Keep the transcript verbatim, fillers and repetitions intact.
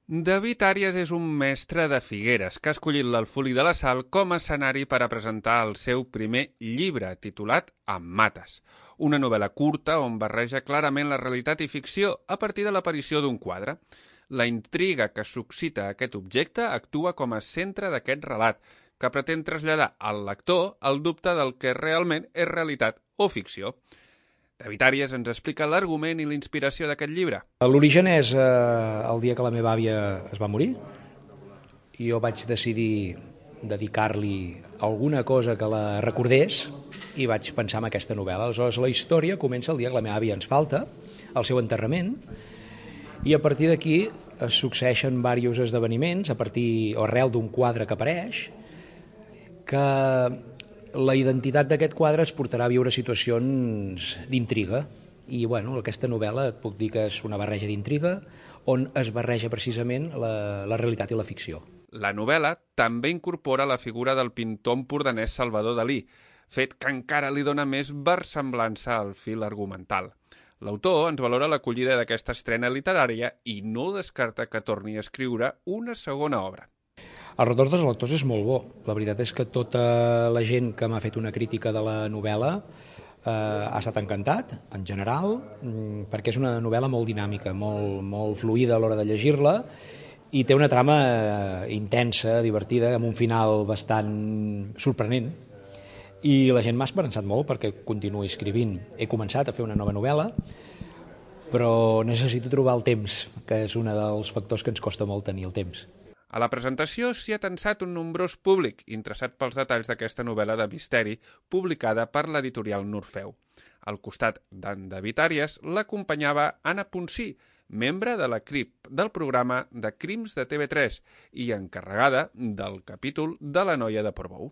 David Àrias és un mestre de Figueres que ha escollit l'Alfolí de la Sal com a escenari per a presentar el seu primer llibre, titulat Em mates, una novel·la curta on barreja clarament la realitat i ficció a partir de l'aparició d'un quadre. La intriga que suscita aquest objecte actua com a centre d'aquest relat, que pretén traslladar al lector el dubte del que realment és realitat o ficció. David Àrias ens explica l'argument i la inspiració d'aquest llibre. L'origen és eh, el dia que la meva àvia es va morir i jo vaig decidir dedicar-li alguna cosa que la recordés i vaig pensar en aquesta novel·la. Aleshores, la història comença el dia que la meva àvia ens falta, el seu enterrament, i a partir d'aquí es succeeixen diversos esdeveniments a partir o arrel d'un quadre que apareix, que la identitat d'aquest quadre es portarà a viure situacions d'intriga. I bueno, aquesta novel·la et puc dir que és una barreja d'intriga on es barreja precisament la, la realitat i la ficció. La novel·la també incorpora la figura del pintor empordanès Salvador Dalí, fet que encara li dona més versemblança al fil argumental. L'autor ens valora l'acollida d'aquesta estrena literària i no descarta que torni a escriure una segona obra. El retorn dels lectors és molt bo. La veritat és que tota la gent que m'ha fet una crítica de la novel·la eh, ha estat encantat, en general, perquè és una novel·la molt dinàmica, molt, molt fluida a l'hora de llegir-la i té una trama intensa, divertida, amb un final bastant sorprenent. I la gent m'ha esperançat molt perquè continuï escrivint. He començat a fer una nova novel·la, però necessito trobar el temps, que és un dels factors que ens costa molt tenir, el temps. A la presentació s'hi ha tensat un nombrós públic interessat pels detalls d'aquesta novel·la de misteri publicada per l'editorial Norfeu. Al costat d'en David Àrias l'acompanyava Anna Ponsí, membre de la C R I P del programa de Crims de T V tres i encarregada del capítol de La noia de Portbou.